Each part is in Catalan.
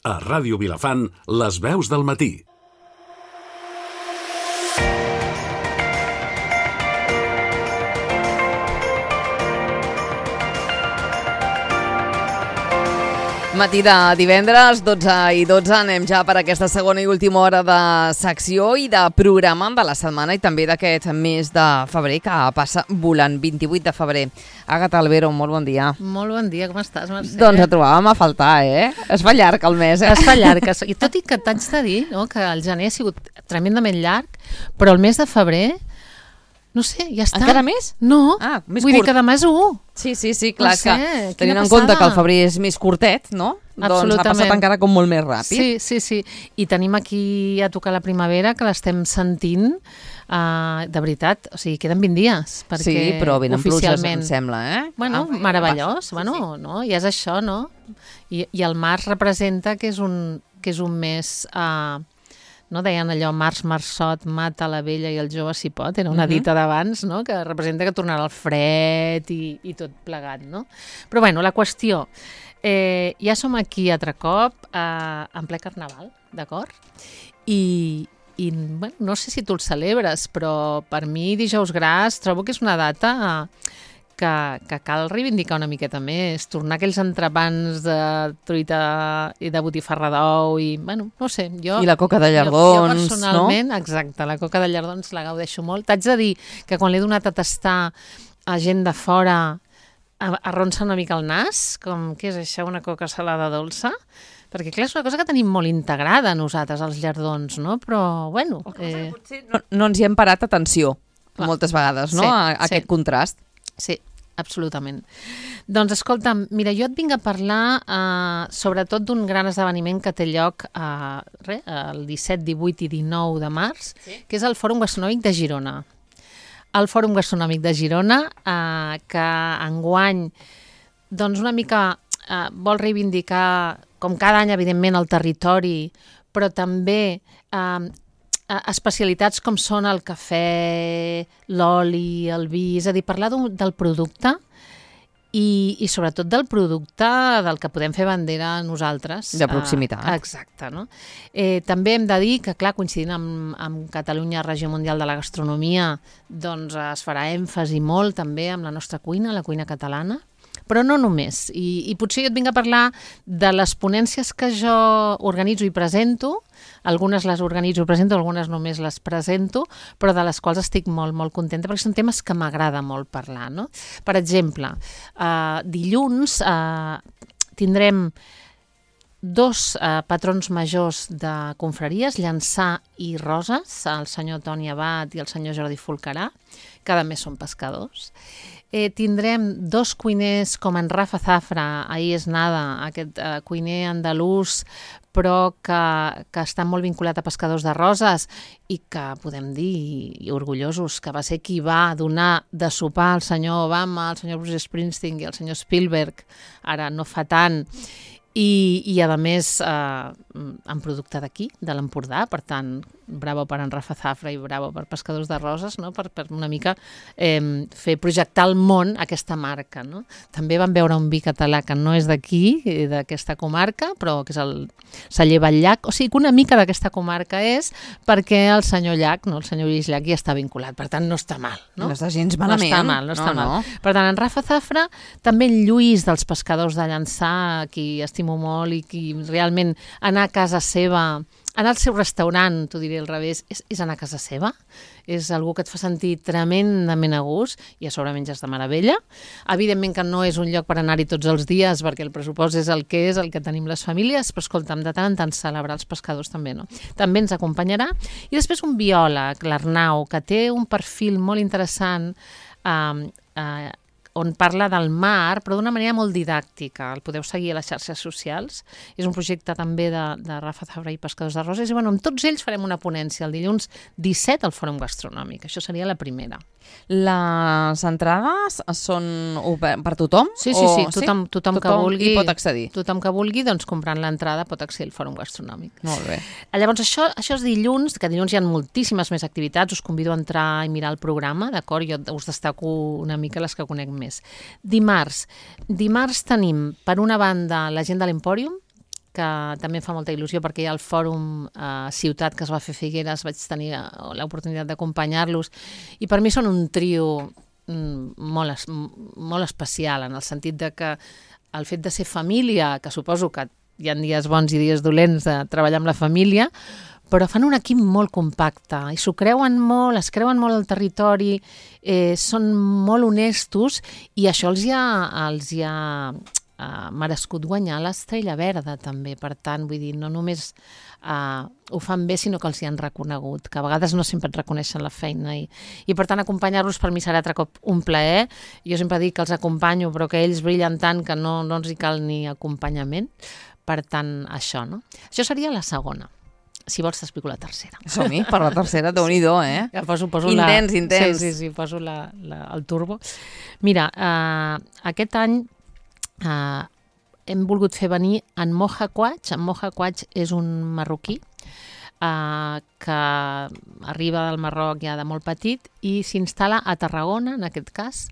A Ràdio Vilafant, les veus del matí. Matí de divendres, 12 i 12, anem ja per aquesta segona i última hora de secció i de programa de la setmana i també d'aquest mes de febrer que passa volant, 28 de febrer. Àgata Albero, molt bon dia. Molt bon dia, com estàs, Mercè? Doncs et trobàvem a faltar, Es fa llarg el mes, Es fa llarg, i tot i que t'haig de dir, no, que el gener ha sigut tremendament llarg, però el mes de febrer, no sé, ja està. Encara més? No, més vull curt. dir que demà és 1. Sí, clar, No sé, que tenint quina en compte passada. que el febrer és més curtet, no? Doncs ha passat encara com molt més ràpid. Sí. I tenim aquí a tocar la primavera, que l'estem sentint, de veritat, o sigui, queden 20 dies. Perquè Sí, però venen pluges, oficialment... em sembla, Bueno, meravellós, bueno, no? Ja és això, no? I el març representa que és un mes... no? Deien allò, març, marçot, mata la vella i el jove si pot, era una dita d'abans, no? Que representa que tornarà el fred i tot plegat, no? Però bueno, la qüestió, ja som aquí altre cop, en ple carnaval, d'acord? I bueno, no sé si tu el celebres, però per mi Dijous Gras trobo que és una data que cal reivindicar una miqueta més, tornar aquells entrepans de truita i de botifarra d'ou i, bueno, no sé, jo... I la coca de llardons, jo personalment, no? Exacte, la coca de llardons la gaudeixo molt. T'haig de dir que quan l'he donat a tastar a gent de fora arronsa una mica el nas, com, què és això, una coca salada dolça? Perquè, clar, és una cosa que tenim molt integrada nosaltres, els llardons, no? Però, bueno... Potser no ens hi hem parat atenció, moltes vegades, no? A aquest contrast. Sí, absolutament. Doncs, escolta'm, mira, jo et vinc a parlar sobretot d'un gran esdeveniment que té lloc el 17, 18 i 19 de març, que és el Fòrum Gastronòmic de Girona. El Fòrum Gastronòmic de Girona, que enguany, doncs una mica vol reivindicar, com cada any, evidentment, el territori, però també especialitats com són el cafè, l'oli, el vi, és a dir, parlar del producte i sobretot del producte del que podem fer bandera nosaltres. De proximitat. Exacte, no? També hem de dir que, clar, coincidint amb Catalunya, Regió Mundial de la Gastronomia, doncs es farà èmfasi molt també amb la nostra cuina, la cuina catalana, però no només. I potser jo et vinc a parlar de les ponències que jo organitzo i presento. Algunes les organitzo i presento, algunes només les presento, però de les quals estic molt, molt contenta, perquè són temes que m'agrada molt parlar, no? Per exemple, dilluns tindrem dos patrons majors de confraries, Llançà i Roses, el senyor Toni Abat i el senyor Jordi Folcarà, que a més són pescadors. Tindrem dos cuiners com en Rafa Zafra, ahir és nada, aquest cuiner andalús, però que està molt vinculat a pescadors de Roses i que podem dir, i orgullosos, que va ser qui va donar de sopar al senyor Obama, al senyor Bruce Springsteen i al senyor Spielberg, ara no fa tant, i a més en producte d'aquí, de l'Empordà, per tant, bravo per en Rafa Zafra i bravo per Pescadors de Roses, no? per una mica fer projectar al món aquesta marca. No? També vam veure un vi català que no és d'aquí, d'aquesta comarca, però que és el celler Batllac, o sigui que una mica d'aquesta comarca és perquè el senyor Llach, no? El senyor Lluís Llach ja està vinculat, per tant no està mal. No està gens malament. No està mal. Per tant, en Rafa Zafra, també en Lluís dels Pescadors de Llançà, qui estimo molt i qui realment anar a casa seva, anar al seu restaurant, t'ho diré al revés, és anar a casa seva, és algú que et fa sentir tremendament a gust i a sobre menges de meravella. Evidentment que no és un lloc per anar-hi tots els dies perquè el pressupost és el que tenim les famílies, però escolta'm, de tant en tant celebrar els pescadors també, no? També ens acompanyarà. I després un biòleg, l'Arnau, que té un perfil molt interessant on parla del mar, però d'una manera molt didàctica. El podeu seguir a les xarxes socials. És un projecte també de Rafa Zafra i Pescadors de Roses. I bueno, amb tots ells farem una ponència el dilluns 17 al Fòrum Gastronòmic. Això seria la primera. Les entrades són per tothom? Sí, tothom que vulgui. Hi pot accedir? Tothom que vulgui, doncs comprant l'entrada pot accedir al Fòrum Gastronòmic. Molt bé. Llavors això és dilluns, que dilluns hi ha moltíssimes més activitats, us convido a entrar i mirar el programa, d'acord? Jo us destaco una mica les que conec més. Dimarts tenim, per una banda, la gent de l'Empòrium, que també em fa molta il·lusió perquè hi ha el fòrum Ciutat que es va fer a Figueres, vaig tenir l'oportunitat d'acompanyar-los i per mi són un trio molt especial en el sentit de que el fet de ser família, que suposo que hi ha dies bons i dies dolents de treballar amb la família, però fan un equip molt compacte i s'ho creuen molt, es creuen molt el territori, són molt honestos i això els hi ha merescut guanyar l'Estrella Verda també, per tant, vull dir, no només ho fan bé, sinó que els hi han reconegut, que a vegades no sempre et reconeixen la feina i per tant acompanyar-los per mi serà altre cop un plaer. Jo sempre dic que els acompanyo però que ells brillen tant que no ens hi cal ni acompanyament, per tant això, no? Això seria la segona. Si vols t'explico la tercera. Som-hi, per la tercera, Déu-n'hi-do, eh? Ja poso intens. Sí, poso el turbo. Mira, aquest any hem volgut fer venir en Moja Quach. En Moja Quach és un marroquí que arriba del Marroc ja de molt petit i s'instal·la a Tarragona, en aquest cas.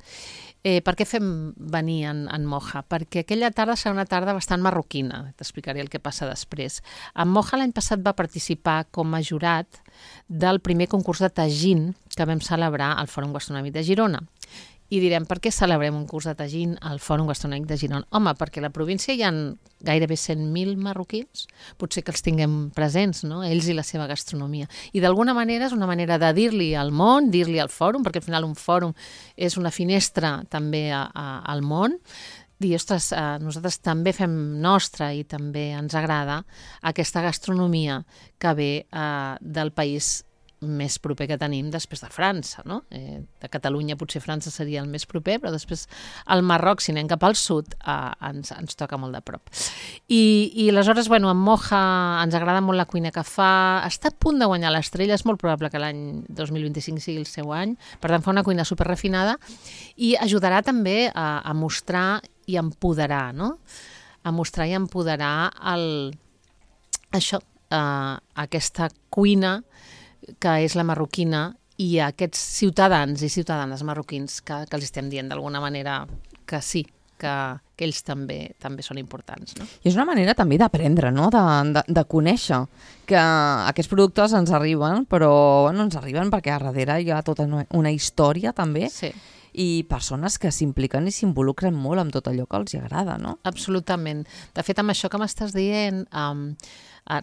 Per què fem venir en Moja? Perquè aquella tarda serà una tarda bastant marroquina. T'explicaré el que passa després. En Moja l'any passat va participar com a jurat del primer concurs de tagín que vam celebrar al Fòrum Gastronòmic de Girona. I direm, per què celebrem un curs de tagín al Fòrum Gastronòmic de Girona? Home, perquè a la província hi ha gairebé 100.000 marroquins, potser que els tinguem presents, no? Ells i la seva gastronomia. I d'alguna manera és una manera de dir-li al món, dir-li al fòrum, perquè al final un fòrum és una finestra també al món, dir, ostres, nosaltres també fem nostra i també ens agrada aquesta gastronomia que ve del país més proper que tenim després de França, no? De Catalunya potser França seria el més proper, però després el Marroc, si anem cap al sud, ens toca molt de prop. I aleshores, bueno, en Moja ens agrada molt la cuina que fa, està a punt de guanyar l'Estrella, és molt probable que l'any 2025 sigui el seu any, per tant fa una cuina superrefinada i ajudarà també a mostrar i empoderar, no? A mostrar i empoderar aquesta cuina que és la marroquina i a aquests ciutadans i ciutadanes marroquins que els estem dient d'alguna manera que sí, que ells també són importants. No? I és una manera també d'aprendre, no? De conèixer que aquests productes ens arriben, però bueno, ens arriben perquè a darrere hi ha tota una història també. Sí. I persones que s'impliquen i s'involucren molt amb tot allò que els agrada, no? Absolutament. De fet, amb això que m'estàs dient,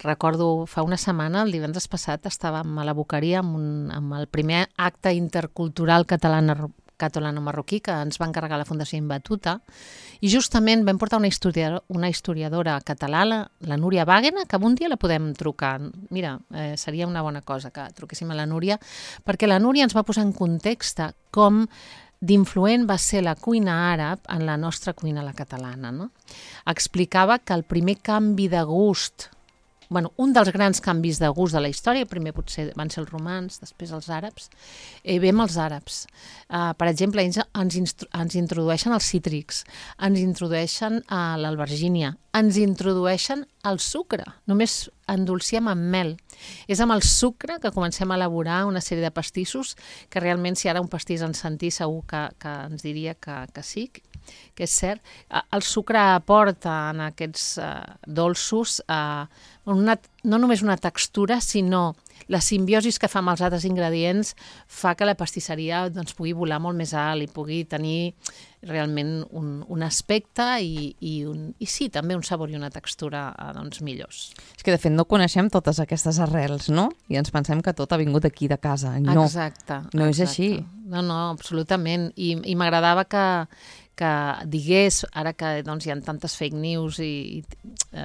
recordo fa una setmana, el divendres passat, estàvem a la Boqueria amb el primer acte intercultural catalano-marroquí que ens va encarregar la Fundació Imbatuta i justament vam portar una historiadora catalana, la Núria Wagner, que un dia la podem trucar. Mira, seria una bona cosa que truquéssim a la Núria, perquè la Núria ens va posar en context com d'influent va ser la cuina àrab en la nostra cuina, la catalana. No? Explicava que el primer canvi de gust, un dels grans canvis de gust de la història, primer potser van ser els romans, després els àrabs, ve amb els àrabs. Per exemple, ens introdueixen els cítrics, ens introdueixen l'albergínia, ens introdueixen el sucre, només endolciem amb mel. És amb el sucre que comencem a elaborar una sèrie de pastissos que realment si ara un pastís ens sentís segur que ens diria que sí, que és cert. El sucre aporta en aquests dolços no només una textura, sinó la simbiosis que fa amb els altres ingredients fa que la pastisseria pugui volar molt més alt i pugui tenir realment un aspecte i sí, també un sabor i una textura millors. És que de fet no coneixem totes aquestes arrels, no? I ens pensem que tot ha vingut aquí de casa. No, exacte. No és així. No, absolutament. I m'agradava que digués, ara que hi ha tantes fake news i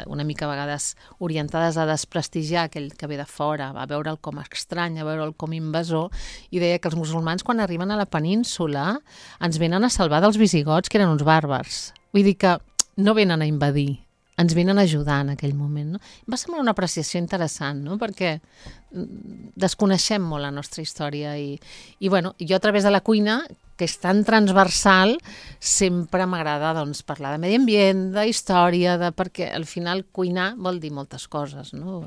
una mica a vegades orientades a desprestigiar aquell que ve de fora, a veure'l com estrany, a veure'l com invasor, i deia que els musulmans quan arriben a la península ens venen a salvar dels visigots, que eren uns bàrbars. Vull dir que no venen a invadir, ens venen a ajudar en aquell moment. No? Va semblar una apreciació interessant, no? Perquè desconeixem molt la nostra història i jo a través de la cuina que és tan transversal, sempre m'agrada doncs, parlar de medi ambient, de història, perquè al final cuinar vol dir moltes coses, no?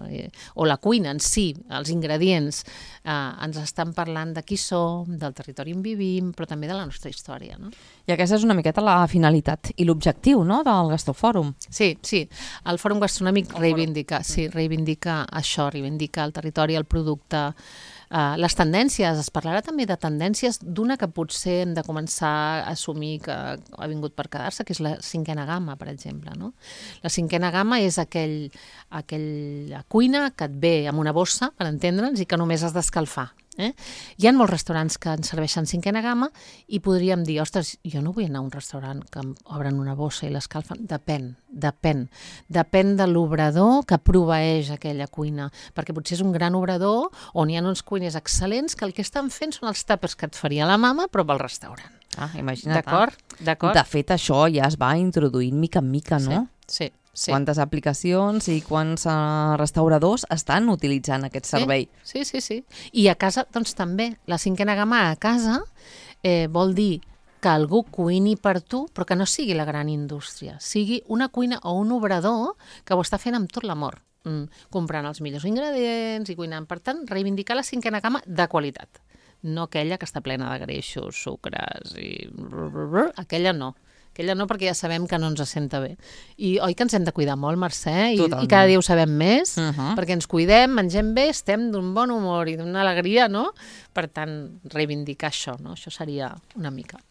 O la cuina en si, els ingredients, ens estan parlant de qui som, del territori on vivim, però també de la nostra història, no? I aquesta és una miqueta la finalitat i l'objectiu, no?, del Gastrofòrum. Sí, el Fòrum Gastronòmic reivindica això, reivindica el territori, el producte, les tendències. Es parlarà també de tendències d'una que potser hem de començar a assumir que ha vingut per quedar-se, que és la cinquena gamma, per exemple, no? La cinquena gamma és aquella cuina que et ve amb una bossa, per entendre'ns, i que només has d'escalfar. Hi ha molts restaurants que ens serveixen cinquena gamma i podríem dir, ostres, jo no vull anar a un restaurant que em obren una bossa i l'escalfen. Depèn de l'obrador que proveeix aquella cuina, perquè potser és un gran obrador on hi ha uns cuiners excel·lents que el que estan fent són els tàpers que et faria la mama però pel restaurant. Imagina't. D'acord? De fet, això ja es va introduint mica en mica, no? Sí. Quantes aplicacions i quants restauradors estan utilitzant aquest servei. Sí. I a casa, doncs també, la cinquena gamma a casa vol dir que algú cuini per tu, però que no sigui la gran indústria, sigui una cuina o un obrador que ho està fent amb tot l'amor, comprant els millors ingredients i cuinant. Per tant, reivindicar la cinquena gamma de qualitat, no aquella que està plena de greixos, sucres i... Aquella no, perquè ja sabem que no ens senta bé. I oi que ens hem de cuidar molt, Mercè? I cada dia ho sabem més, perquè ens cuidem, mengem bé, estem d'un bon humor i d'una alegria, no? Per tant, reivindicar això, no? Això seria una mica.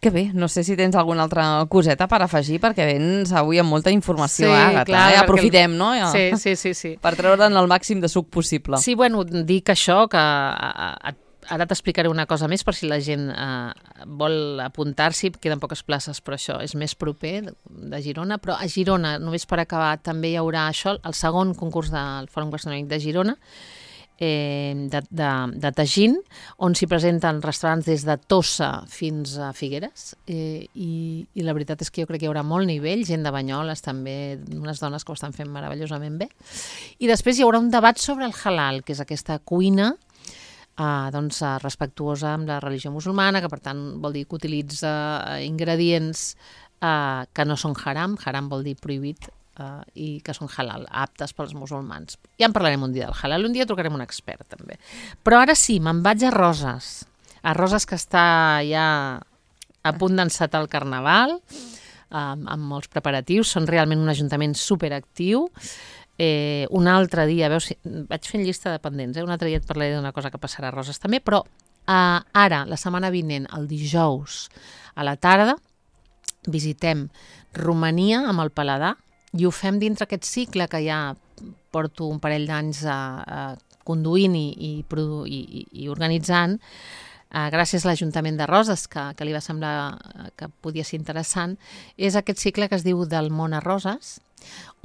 Que bé, no sé si tens alguna altra coseta per afegir, perquè vens avui amb molta informació, Àgata. Clar, aprofitem, no? Sí. Per treure'n el màxim de suc possible. Sí, bueno, dic això, que ara t'explicaré una cosa més per si la gent vol apuntar-s'hi, queden poques places, però això és més proper de Girona, però a Girona, només per acabar, també hi haurà això, el segon concurs del Fòrum Gastronòmic de Girona, de Tagín, on s'hi presenten restaurants des de Tossa fins a Figueres, i la veritat és que jo crec que hi haurà molt nivell, gent de Banyoles també, unes dones que ho estan fent meravellosament bé, i després hi haurà un debat sobre el halal, que és aquesta cuina respectuosa amb la religió musulmana, que per tant vol dir que utilitza ingredients que no són haram vol dir prohibit, i que són halal, aptes pels musulmans. Ja en parlarem un dia del halal, un dia trucarem un expert també. Però ara sí, me'n vaig a Roses que està ja a punt d'encetar el Carnaval, amb molts preparatius, són realment un ajuntament superactiu. Un altre dia, veus, vaig fent llista de pendents, un altre dia et parlaré d'una cosa que passarà a Roses també, però ara, la setmana vinent, el dijous a la tarda, visitem Romania amb el Paladar i ho fem dintre aquest cicle que ja porto un parell d'anys conduint i organitzant, gràcies a l'Ajuntament de Roses, que li va semblar que podia ser interessant. És aquest cicle que es diu Del món a Roses,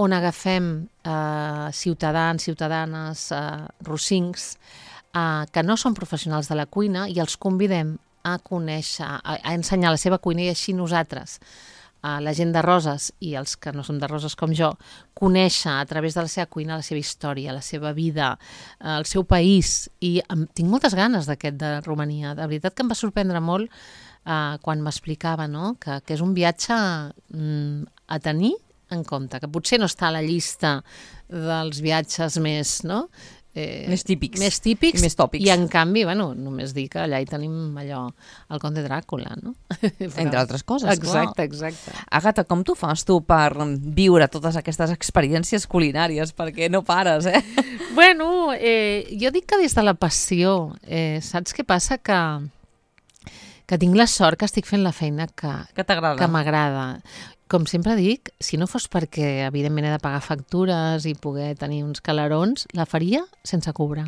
on agafem ciutadans, ciutadanes, rossincs, que no són professionals de la cuina i els convidem a conèixer, a ensenyar la seva cuina, i així nosaltres, la gent de Roses i els que no som de Roses com jo, conèixer a través de la seva cuina la seva història, la seva vida, el seu país. I tinc moltes ganes d'aquest de Romania. De veritat que em va sorprendre molt quan m'explicava, no? Que és un viatge a tenir en compte, que potser no està a la llista dels viatges més, no? Més típics. I més tòpics. I en canvi, bueno, només dir que allà hi tenim allò, el Conde Dràcula, no? Entre altres coses, exacte. Àgata, com t'ho fas tu per viure totes aquestes experiències culinàries? Perquè no pares, Bueno, jo dic que des de la passió. Saps què passa? Que tinc la sort que estic fent la feina que t'agrada, que m'agrada. Com sempre dic, si no fos perquè evidentment he de pagar factures i poder tenir uns calarons, la faria sense cobrar.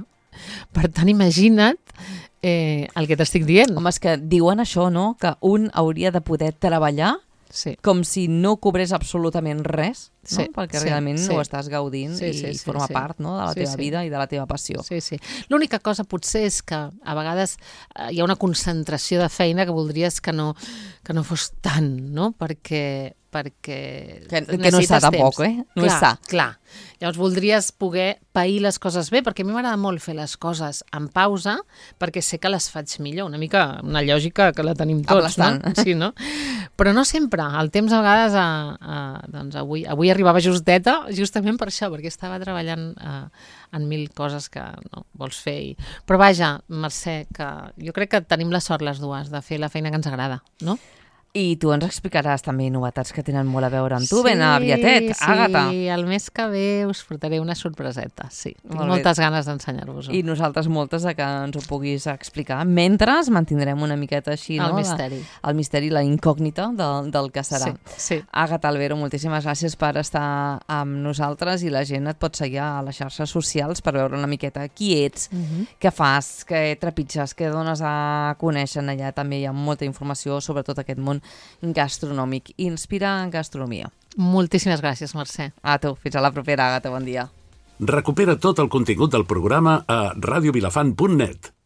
Per tant, imagina't el que t'estic dient. Home, és que diuen això, no? Que un hauria de poder treballar com si no cobrés absolutament res, no? Perquè realment ho estàs gaudint i forma part, no? De la teva vida i de la teva passió. Sí. L'única cosa potser és que a vegades hi ha una concentració de feina que voldries que no fos tant, no? Perquè perquè Que no és necessites sa tampoc, temps. No és sa. Clar. Llavors voldries poder pair les coses bé, perquè a mi m'agrada molt fer les coses en pausa, perquè sé que les faig millor. Una mica una lògica que la tenim tots, no? Sí, no? Però no sempre. El temps a vegades, doncs avui arribava justeta, justament per això, perquè estava treballant en 1000 coses que no vols fer. Però vaja, Mercè, que jo crec que tenim la sort les dues de fer la feina que ens agrada, no? I tu ens explicaràs també novetats que tenen molt a veure amb tu, ben aviatet, Àgata. Sí, el mes que ve us portaré una sorpreseta, sí. Tinc moltes ganes d'ensenyar-vos-ho. I nosaltres moltes de que ens ho puguis explicar. Mentre mantindrem una miqueta així, el misteri. El misteri, la incògnita del que serà. Sí. Àgata Albero, moltíssimes gràcies per estar amb nosaltres i la gent et pot seguir a les xarxes socials per veure una miqueta qui ets, què fas, què trepitges, què dones a conèixer. Allà també hi ha molta informació sobre tot aquest món gastronòmic. Inspira en gastronomia. Moltíssimes gràcies, Mercè. A tu. Fins a la propera, Àgata. Bon dia. Recupera tot el contingut del programa a radiovilafant.net.